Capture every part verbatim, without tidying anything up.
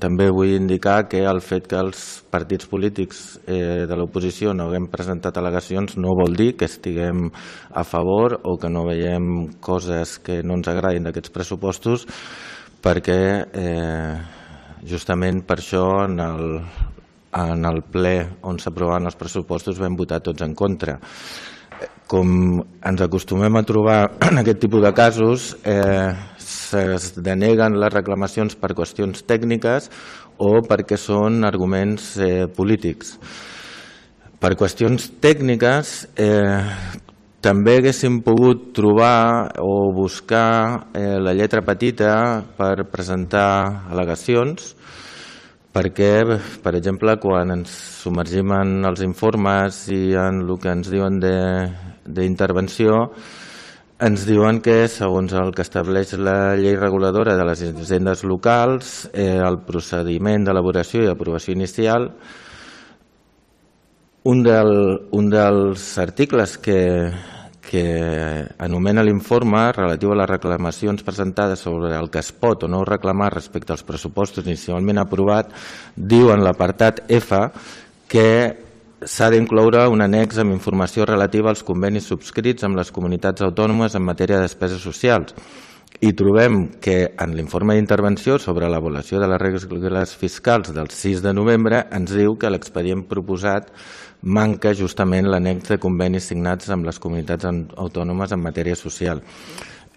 també vull indicar que el fet que els partits polítics eh, de l'oposició no haguem presentat al·legacions no vol dir que estiguem a favor o que no veiem coses que no ens agradin d'aquests pressupostos, perquè eh, justament per això en el, en el ple on s'aprovaven els pressupostos vam votar tots en contra. Com ens acostumem a trobar en aquest tipus de casos, eh, es deneguen les reclamacions per qüestions tècniques o perquè són arguments eh, polítics. Per qüestions tècniques eh, també haguéssim pogut trobar o buscar eh, la lletra petita per presentar al·legacions, perquè, per exemple, quan ens submergim en els informes i en el que ens diuen d'intervenció, ens diuen que, segons el que estableix la llei reguladora de les hisendes locals, eh, el procediment d'elaboració i aprovació inicial, un, del, un dels articles que, que anomena l'informe relatiu a les reclamacions presentades sobre el que es pot o no reclamar respecte als pressupostos inicialment aprovat, diu en l'apartat F que s'ha d'incloure un annex amb informació relativa als convenis subscrits amb les comunitats autònomes en matèria de despeses socials. I trobem que en l'informe d'intervenció sobre l'avaluació de les regles fiscals del sis de novembre ens diu que l'expedient proposat manca justament l'annex de convenis signats amb les comunitats autònomes en matèria social.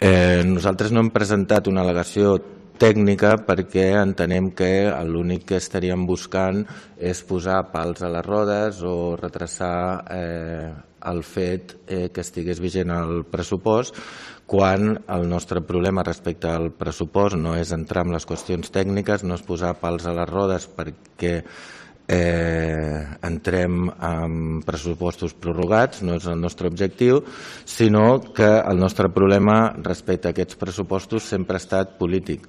Eh, nosaltres no hem presentat una al·legació tècnica perquè entenem que l'únic que estaríem buscant és posar pals a les rodes o retrasar eh, el fet eh, que estigués vigent el pressupost, quan el nostre problema respecte al pressupost no és entrar en les qüestions tècniques, no és posar pals a les rodes perquè Eh, entrem en pressupostos prorrogats, no és el nostre objectiu, sinó que el nostre problema respecte a aquests pressupostos sempre ha estat polític.